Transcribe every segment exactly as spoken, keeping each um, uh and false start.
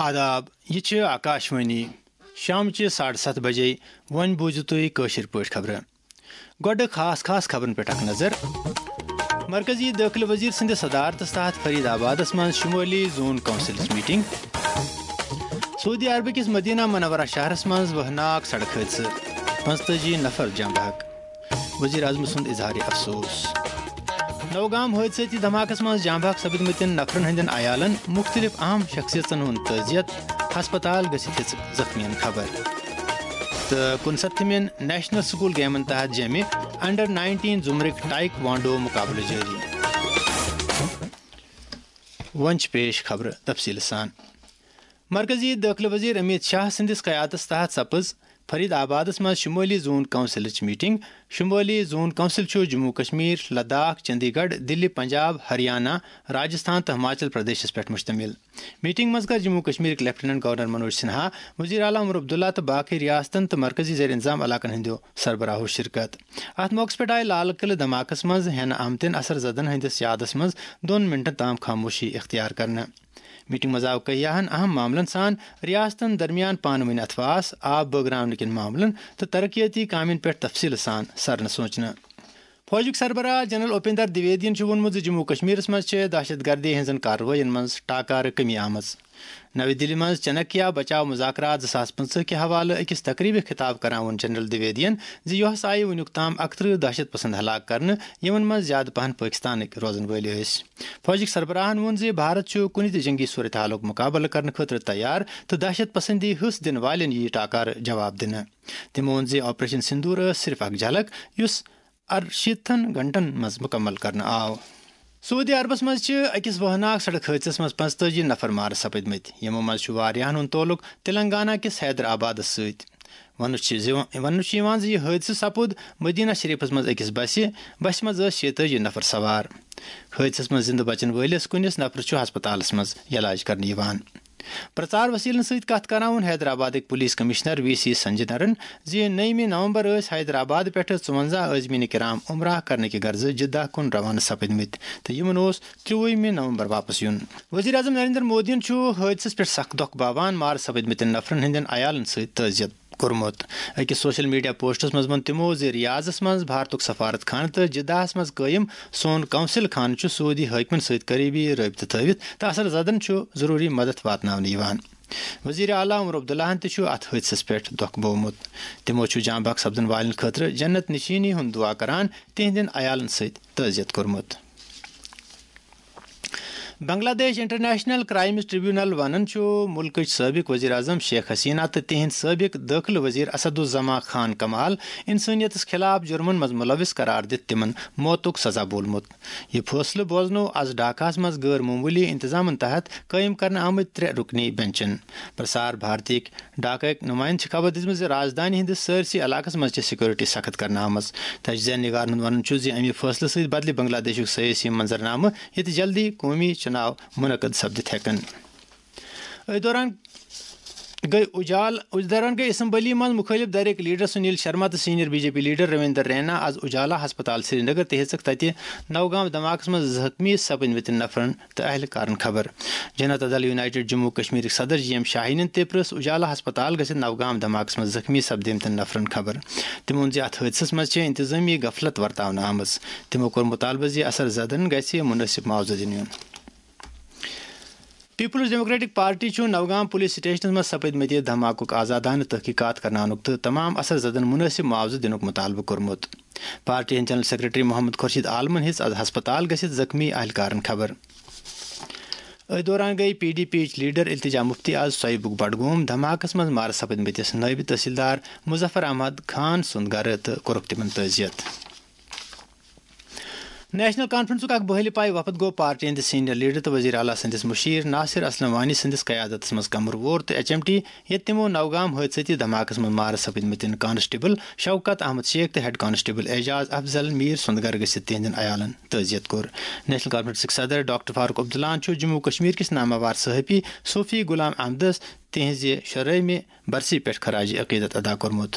آداب، یہِ چھِ آکاشوانی۔ شامچہِ ساڑٕ ستھ بجے۔ وۄنۍ بوٗزِو تُہۍ کٲشِر پٲٹھۍ خبرٕ۔ گۄڈٕ خاص خاص خبرن پٮ۪ٹھ اکھ نظر۔ مرکزی دٲخلہٕ وزیر سٕنٛدِس صدارتس تحت فرید آبادس منٛز شمٲلی زون کونسلٕچ میٹنگ۔ سعودی عربہٕ کِس مدینہ منورہ شہرس منٛز وہناک سڑک حٲدثہٕ، پانٛژتٲجی نفر جاں بحق۔ وزیر اعظم سُنٛد اظہار افسوس۔ نوگام حٲدثٲتی دھماکس منٛز جاں بحق سپدمٕتٮ۪ن نفرن ہٕنٛدٮ۪ن عیالن مُختٔلِف اہم شخصیژن ہُنٛد تعزیت، ہسپتال گٔژھِتھ ہیٚژ زخمیَن خبر۔ تہٕ کُنسَتتھمٮ۪ن نیشنل سکول گیمن تحت جیمہِ انڈر نائنٹین زمرک ٹائیک وانڈو مقابلہٕ جٲری۔ وۄنۍ چھِ پیش خبرٕ تفصیٖلہٕ سان۔ مرکزی دٲخلہٕ وزیر امیت شاہ سٕنٛدِس قیادتس تحت سپٕز فرید آبادس منٛز شمٲلی زون کونسلٕچ میٹنگ۔ شمٲلی زون کونسل چھُ جموں کشمیر، لداخ، چندی گڑھ، دلی، پنجاب، ہریانہ، راجستھان تہٕ ہماچل پردیشس پٮ۪ٹھ مشتمل۔ میٹنگ منٛز کٔر جموں کشمیرٕکۍ لیفٹیننٹ گورنر منوج سنہا، وزیر اعلیٰ عمر عبداللہ تہٕ باقٕے ریاستن تہٕ مرکزی زیر انتظام علاقن ہٕنٛدیو سربراہو شرکت۔ اتھ موقعس پٮ۪ٹھ آیہِ لال قلعہٕ دھماکس منٛز ہٮ۪نہٕ آمتٮ۪ن اثر زدن ہٕنٛدِس یادس منٛز دۄن منٹن تام خاموشی اختیار کرنہٕ۔ میٹنگ منٛز آو کیاہن اہم معاملن سان ریاستن درمیان پانہٕ ؤنۍ اتھواس، آب بٲگراونہٕ کٮ۪ن معاملن تہٕ ترقیتی کامٮ۪ن پٮ۪ٹھ تفصیلہٕ سان سرنہٕ سونچنہٕ۔ فوجُک سربراہ جنرل اپیندر دویدین چھُ ووٚنمُت زِ جموں کشمیرس منٛز چھِ دہشت گردی ہٕنٛزن کاروٲیین منٛز ٹاکارٕ کمی آمٕژ۔ نَوِ دِلہِ منٛز چانکیہ بچاو مذاکرات زٕ ساس پٕنٛژٕہ کہِ حوالہٕ أکِس تقریبہِ خطاب کران ووٚن جنرل دویدین زِ یۄہس آیہِ وُنیُک تام اکترٕہ دہشت پسند ہلاک کرنہٕ، یِمن منٛز زیادٕ پہن پٲکستانٕکۍ روزن وٲلۍ ٲسۍ۔ فوجٕکۍ سربراہن ووٚن زِ بھارت چھُ کُنہِ تہِ جنگی صورتحالُک مقابلہٕ کرنہٕ خٲطرٕ تیار تہٕ دہشت پسندی حصہٕ دِنہٕ والٮ۪ن یِیہِ ٹاکارٕ جواب دِنہٕ۔ تِمو ووٚن زِ آپریشن سندور ٲس صرف اکھ جھلک، یُس ارشیٖتھن گھنٹن منٛز مُکمل کرنہٕ آو۔ سعودی عربس منٛز چھِ أکِس وہناک سڑک حٲدثس منٛز پانٛژتٲجی نفر مارٕ سپٕدمٕتۍ، یِمو منٛز چھُ واریاہن ہُنٛد تعلق تلنگانہ کِس حیدر آبادس سۭتۍ۔ وننہٕ چھِ زِ-، وننہٕ چھُ یِوان زِ یہِ حٲدثہٕ سپُد مدینہ شریفس منٛز أکِس بسہِ، بسہِ منٛز ٲسۍ شیٚیہِ تٲجی نفر سوار۔ حٲدثس منٛز زِنٛدٕ بچن وٲلِس کُنِس نفرس چھُ ہسپتالس منٛز علاج کرنہٕ یِوان۔ پرچار وسیلن سۭتۍ کتھ کران ووٚن حیدرآبادٕکۍ پولیس کمشنر وی سی سنجنرن زِ نٔیمہِ نومبر ٲسۍ حیدرآباد پٮ۪ٹھٕ ژُوَنزاہ عازمین کرام عمرہ کرنہٕ کہِ غرضہٕ جدہ کُن روانہٕ سپدمٕتۍ تہٕ یِمن اوس ترٛۆوُہمہِ نومبر واپس یُن۔ وزیر اعظم نریندر مودیَن چھُ حٲدثس پٮ۪ٹھ سخ دۄکھ باوان مارٕ سپدمٕتٮ۪ن نفرن ہٕنٛدٮ۪ن عیالن سۭتۍ تعزیت کوٚرمُت۔ أکِس سوشل میڈیا پوسٹس منٛز ووٚن تِمو زِ ریاضس منٛز بھارتُک سفارت خانہٕ تہٕ جدہس منٛز قٲیِم سون قونصل خانہٕ چھُ سعودی حٲکمن سۭتۍ قریبی رٲبطہٕ تھٲوِتھ تہٕ اثر زدن چھُ ضروری مدد واتناونہٕ یِوان۔ وزیر اعلیٰ عمر عبداللہن تہِ چھُ اتھ حٲدثس پٮ۪ٹھ دۄکھ بوومُت۔ تِمو چھُ جاں بحق سپدن والٮ۪ن خٲطرٕ جنت نشینی ہُنٛد دعا کران تِہنٛدٮ۪ن عیالن سۭتۍ تعزیت کوٚرمُت۔ بنگلہ دیش انٹرنیشنل کرائمز ٹریبونل ونان چھُ ملکٕچ سٲبق وزیر اعظم شیخ حسینہ تہٕ تِہنٛدۍ سٲبق دٲخلہٕ وزیر اسد الزمان خان کمال انسٲنیتس خلاف جرمن منٛز ملوث قرار دِتھ تِمن موتُک سزا بولمُت۔ یہِ فٲصلہٕ بوزنوو از ڈھاکہس منٛز غٲر معموٗلی انتظامن تحت قٲیِم کرنہٕ آمٕتۍ ترٛےٚ رُکنی بینچن۔ پرسار بھارتیکۍ ڈھاکہٕکۍ نمائندٕ چھِ خبر دِژمٕژ زِ رازدٲنی ہٕنٛدِس سٲرسٕے علاقس منٛز چھِ سیکورٹی سخت کرنہٕ آمٕژ۔ تجزیہ نگارن ہُنٛد ونُن چھُ زِ اَمہِ فٲصلہٕ سۭتۍ بدلہِ بنگلہ دیشُک سیٲسی منظرنامہٕ، ییٚتہِ جلدی قومی چُناو منعقد سپدِتھ ہٮ۪کن۔ أتھۍ دوران گٔے اُجال، أتھۍ دوران گٔے اسمبلی منٛز مُخٲلِف دھڑٕکۍ لیڈر سنیل شرما تہٕ senior B J P leader Ravinder Raina از اُجالا ہسپتال سرینگر تہٕ ہیٚژٕکھ تتہِ نوگام دھماکس منٛز زخمی سپدمٕتٮ۪ن نفرن تہٕ اہلکارن خبر۔ جنتا دل یونائیٹڈ جموں کشمیرٕکۍ صدر جی ایم شاہینن تہِ پرٛژھ اُجالا ہسپتال گٔژھِتھ نوگام دھماکس منٛز زخمی سپدمٕتٮ۪ن نفرن خبر۔ تِمو ووٚن زِ اتھ حٲدثس منٛز چھےٚ انتظٲمی غفلت ورتاونہٕ آمٕژ۔ تِمو کوٚر مُطالبہٕ زِ اثر زدن گژھِ مُنٲسِب معاوضہٕ دِنہٕ یُن۔ پیپلز ڈیموکریٹک پارٹی چھُ نوگام پولیس سٹیشنس منٛز سپدمٕتہِ دھماکُک آزادانہٕ تحقیقات کرناونُک تہٕ تمام اثر زدن مُنٲسِب معاوضہٕ دِنُک مُطالبہٕ کوٚرمُت۔ پارٹی ہٕنٛدۍ جنرل سیکرٹری محمد خورشید عالمن ہیٚژ از ہسپتال گٔژھِتھ زخمی اہلکارن خبر۔ أتھۍ دوران گٔیہِ پی ڈی پی یِچ لیڈر التجا مفتی از سویبُک بڈگوم دھماکس منٛز مارٕ سپدمٕتِس نٲیِب تحصیلدار مظفر احمد خان سُنٛد گرٕ تہٕ کوٚرُکھ تِمن تعزیت۔ نیشنل کانفرنسُک اکھ بحٲلہِ پایہِ وفد گوٚو پارٹی ہٕنٛدِ سینئر لیڈر تہٕ وزیر اعلیٰ سٕنٛدِس مُشیر ناصر اسلم وانی سٕنٛدِس قیادتس منٛز کمروور تہٕ ایچ ایم ٹی، ییٚتہِ تِمو نوگام حٲدثٲتی دھماکس منٛز مارٕ سپدمٕتٮ۪ن کانسٹیبل شوکت احمد شیخ تہٕ ہیڈ کانسٹیبل اعجاز افضل میر سُنٛد گرٕ گٔژھِتھ تِہنٛدٮ۪ن عیالن تعزیت کوٚر۔ نیشنل کانفرنسٕکۍ صدر ڈاکٹر فاروق عبداللہن چھُ جموں کشمیر کِس نامور صحافی صوفی غلام احمدس تِہنٛزِ شُراہمہِ برسی پٮ۪ٹھ خراج عقیدت ادا کوٚرمُت۔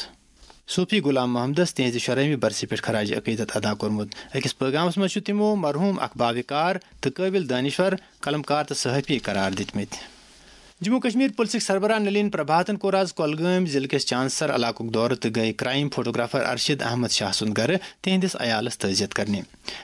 صوفی غلام محمدس تِہنٛزِ شُراہمہِ برسی پٮ۪ٹھ خراج عقیدت ادا کوٚرمُت۔ أکِس پٲغامس منٛز چھُ تِمو مرحوم اکھ باوقار تہٕ قٲبل دانشور قلمکار تہٕ صحافی قرار دِتمٕتۍ۔ جموں کشمیر پُلسٕکۍ سربراہ نلین پربھاتن کوٚر آز کۄلگٲمۍ ضلعہٕ کِس چانسر علاقُک دورٕ تہٕ گٔیہِ کرائم فوٹوگرافر ارشد احمد شاہ سُنٛد گرٕ تِہنٛدِس عیالس تعزیت کرنہِ۔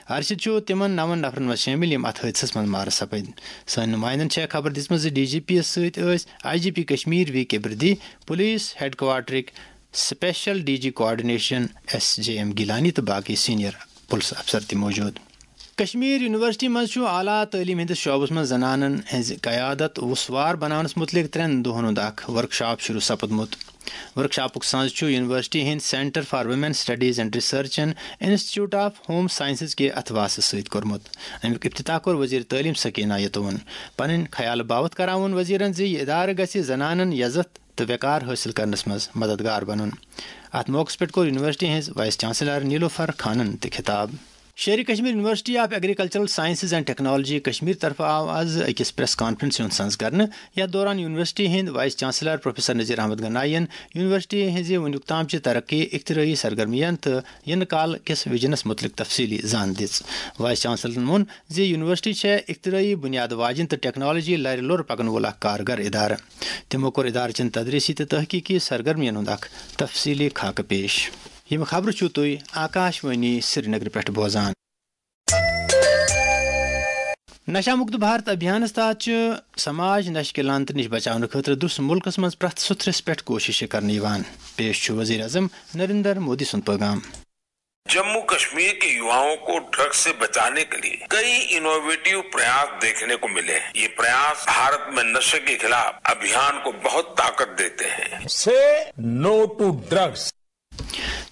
ارشد چھُ تِمن نَوَن نفرن منٛز شٲمِل یِم اتھ حٲدثس منٛز مارٕ سپٕدۍ۔ سٲنۍ نُمایندن چھےٚ خبر دِژمٕژ زِ ڈی جی پی یس سۭتۍ ٲسۍ I G P Kashmir V K Birdi, police head کوارٹرٕکۍ special D G coordination S J M Gilani تہٕ باقٕے سینئر پُلس افسر تہِ موجود۔ کشمیر یونیورسٹی منٛز چھُ اعلیٰ تعلیٖم ہٕنٛدِس شعبس منٛز زنانن ہٕنٛز قیادت وُسوار بناونس مُتعلق ترٛٮ۪ن دۄہن ہُنٛد اکھ ورکشاپ شروع سپُدمُت۔ ورکشاپُک سنز چھُ یونیورسٹی ہٕنٛدۍ Centre for Women Studies and Research and Institute of Home Sciences کہِ اتھواسہٕ سۭتۍ کوٚرمُت۔ امیُک افتتاح کوٚر وزیر تعلیٖم سکینہ یتوَن۔ پنٕنۍ خیال باوتھ کران ووٚن وزیرن زِ یہِ ادارٕ گژھِ زنانن یزتھ تہٕ وقار حٲصِل کرنس منٛز مددگار بنُن۔ اتھ موقعس پٮ۪ٹھ کوٚر یونیورسٹی ہٕنٛز وائس چانسلر نیلوفر خانن تہِ خطاب۔ شیرِ Kashmir University of Agricultural Sciences and Technology Kashmir طرفہٕ آو از أکِس پریس کانفرنسہِ ہُنٛد سنز کرنہٕ۔ یتھ دوران یونیورسٹی ہٕنٛدۍ vice chancellor professor Nazir Ahmad Ganai ین یونیورسٹی ہٕنٛزِ وُنیُک تام چہِ ترقی، اختراعی سرگرمیَن تہٕ یِنہٕ کال کِس وژنس مُتعلق تفصیٖلی زان دِژ۔ وائس چانسلرن ووٚن زِ یونیورسٹی چھےٚ اختراعی بنیاد واجِنۍ تہٕ ٹیکنالوجی لرِ لوٚر پکن وول اکھ کارگر ادارٕ۔ تِمو کوٚر ادارٕ چٮ۪ن تدریسی تہٕ تحقیقی سرگرمین ہُنٛد اکھ تفصیٖلی خاکہٕ پیش۔ یِم خبرٕ چھِو تُہۍ آکاش وانی سرینگرٕ پٮ۪ٹھ بوزان۔ نشہ مکت بھارت ابھیانس تحت چھِ سماج نشہ کہِ لعنتہٕ نِش بچاونہٕ خٲطرٕ درس مُلکس منٛز پرٛٮ۪تھ سُتھرِس پٮ۪ٹھ کوٗشش کرنہٕ یِوان۔ پیش چھُ وزیر اعظم نریندر مودی سُنٛد پیغام۔ जम्मू कश्मीर के युवाओं को ड्रग्स से बचाने के लिए कई इनोवेटिव प्रयास देखने को मिले हैं। ये प्रयास भारत में नशे के खिलाफ अभियान को बहुत ताकत देते हैं। Say no to drugs.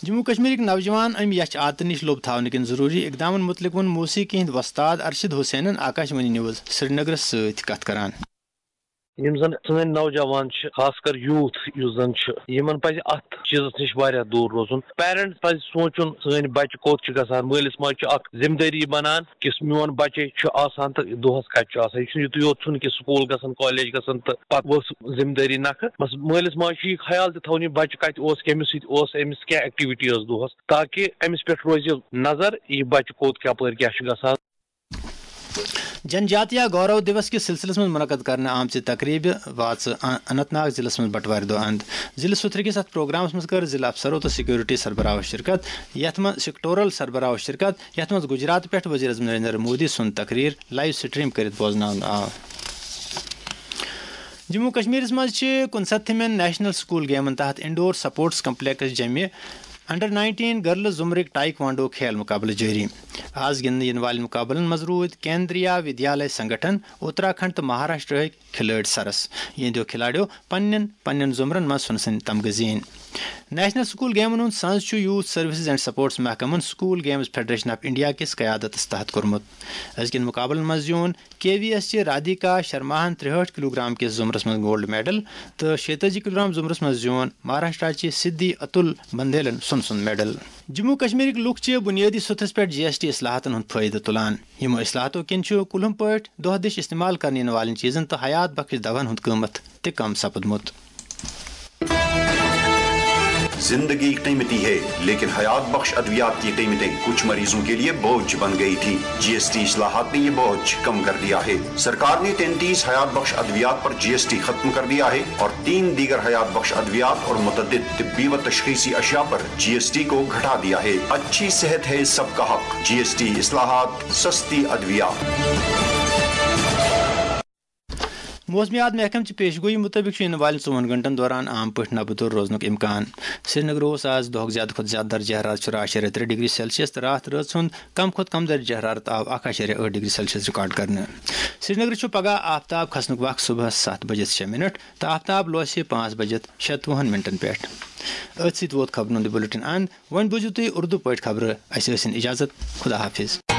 Jammu کشمیرٕکۍ نوجوان امہِ یچھ عادتہٕ نِش لوٚب تھاونہٕ کِنۍ ضروٗری اقدامن مُتعلق ووٚن موسیقی ہٕنٛدۍ وۄستاد ارشد حسینن آکاش وانی نیوز سرینگرس سۭتۍ کتھ کران۔ یِم زن سٲنۍ نوجوان چھِ، خاص کر یوٗتھ یُس زن چھُ، یِمن پزِ اتھ چیٖزس نِش واریاہ دوٗر روزُن۔ پیرنٹ پزِ سونٛچُن، سٲنۍ بچہِ کوٚت چھِ گژھان۔ مٲلِس ماجہِ چھُ اکھ ذمہٕ دٲری بنان کہِ میون بچے چھُ آسان تہٕ دۄہس کتہِ چھُ آسان۔ یہِ چھُنہٕ یُتُے یوت چھُنہٕ کہِ سکوٗل گژھان، کالج گژھان تہٕ پتہٕ ؤژھ ذمہٕ دٲری نکھٕ۔ بس مٲلِس ماجہِ چھُ یہِ خیال تہِ تھاوُن، یہِ بچہِ کتہِ اوس، کٔمِس سۭتۍ اوس، أمِس کیٛاہ ایکٹیویٹی ٲس دۄہس، تاکہِ أمِس پٮ۪ٹھ روزِ نظر، یہِ بچہِ کوٚت کپٲرۍ کیٛاہ چھُ گژھان۔ جن جاتیہ گورو دیوس کِس سلسلس منٛز منعقد کرنہٕ آمژِ تقریبہِ واژٕ ان-، اننت ناگ ضلعس منٛز بٹوارِ دۄہ اند۔ ضلعہٕ سُتھرٕ کِس اتھ پروگرامس منٛز کٔر ضلعہٕ افسرو تہٕ سیکورٹی سربراہو شرکت، یتھ منٛز سیکٹورل سربراہو شرکت، یتھ منٛز گجرات پٮ۪ٹھ وزیر اعظم نریندر مودی سُنٛد تقریر لائیو سٹریم کٔرِتھ بوزناونہٕ آو۔ جموں کشمیرس منٛز چھِ کُنسَتتھمٮ۪ن نیشنل سکول گیمن تحت انڈور سپورٹس کمپلیکس جمہِ انڈر نائنٹین گرلز زمرٕکۍ ٹائیکوانڈو کھیل مقابلہٕ جٲری۔ آز گِنٛدنہٕ یِنہٕ والٮ۪ن مقابلن منٛز روٗدۍ کیندریا ودیالے سنگٹھن، اتراکھنڈ تہٕ مہاراشٹرہٕکۍ کھلٲڑۍ سرس۔ یِہنٛدیو کھلاڑیو پننٮ۪ن پننٮ۪ن زمرن منٛز سۄنہٕ سٕنٛدۍ تمغہٕ زیٖنۍ۔ نیشنل سکول گیمن ہُنٛد سنز چھُ یوتھ سروسز اینڈ سپورٹس محکمن school games federation of India کِس قیادتس تحت کوٚرمُت۔ أزکٮ۪ن مقابلن منٛز زیوٗن کے وی ایس چہِ رادھیکا شرماہن ترٛہٲٹھ کلوگرام کِس زمرس منٛز گولڈ میڈل تہٕ شیٚتٲجی کلوگرام زمرس منٛز زیوٗن مہاراشٹرا چہِ سدھی اتُل بندیلن سۄنہٕ سُنٛد میڈل۔ جموں کشمیرٕکۍ لوٗکھ چھِ بنیٲدی سطحس پٮ۪ٹھ جی ایس ٹی اصلاحاتن ہُنٛد فٲیدٕ تُلان۔ یِمو اصلاحاتو کِنۍ چھُ کُلہُم پٲٹھۍ دۄہ دِش استعمال کرنہٕ یِنہٕ والٮ۪ن چیٖزن تہٕ حیات بخش دواہن ہُنٛد قۭمتھ تہِ کم سپُدمُت۔ زندگی قیمتی ہے، لیکن حیات بخش ادویات کی قیمتیں کچھ مریضوں کے لیے بوجھ بن گئی تھی۔ جی ایس ٹی اصلاحات نے یہ بوجھ کم کر دیا ہے۔ سرکار نے تینتیس حیات بخش ادویات پر جی ایس ٹی ختم کر دیا ہے اور تین دیگر حیات بخش ادویات اور متعدد طبی و تشخیصی اشیاء پر جی ایس ٹی کو گھٹا دیا ہے۔ اچھی صحت ہے سب کا حق۔ جی ایس ٹی اصلاحات، سستی ادویات۔ موسمیات محکمہٕ چہِ پیشگویی مُطٲبِق چھُ یِنہٕ والٮ۪ن ژوٚوُہن گھنٹن دوران عام پٲٹھۍ نبہٕ تور روزنُک امکان۔ سرینگرٕ اوس آز دۄہُک زیادٕ کھۄتہٕ زیادٕ درجہ حرارت شُراہ اَشاریہ ترٛےٚ ڈگری سیلسیس تہٕ راتھ رٲژ ہُنٛد کم کھۄتہٕ کم درجہ حرارت آو اکھ اَشاریہ ٲٹھ ڈگری سیلسیس ریکارڈ کرنہٕ۔ سرینگرٕ چھُ پگہہ آفتاب کھسنُک وق صبحس ستھ بجے شےٚ منٹ تہٕ آفتاب لوسہِ پانٛژھ بجے شیٚتوُہن منٹن پٮ۪ٹھ۔ أتھۍ سۭتۍ ووت خبرن ہُنٛد یہِ بُلٹن اند۔ وۄنۍ بوٗزِو تُہۍ اردو پٲٹھۍ خبرٕ۔ اَسہِ ٲسِن اجازت۔ خدا حافظ۔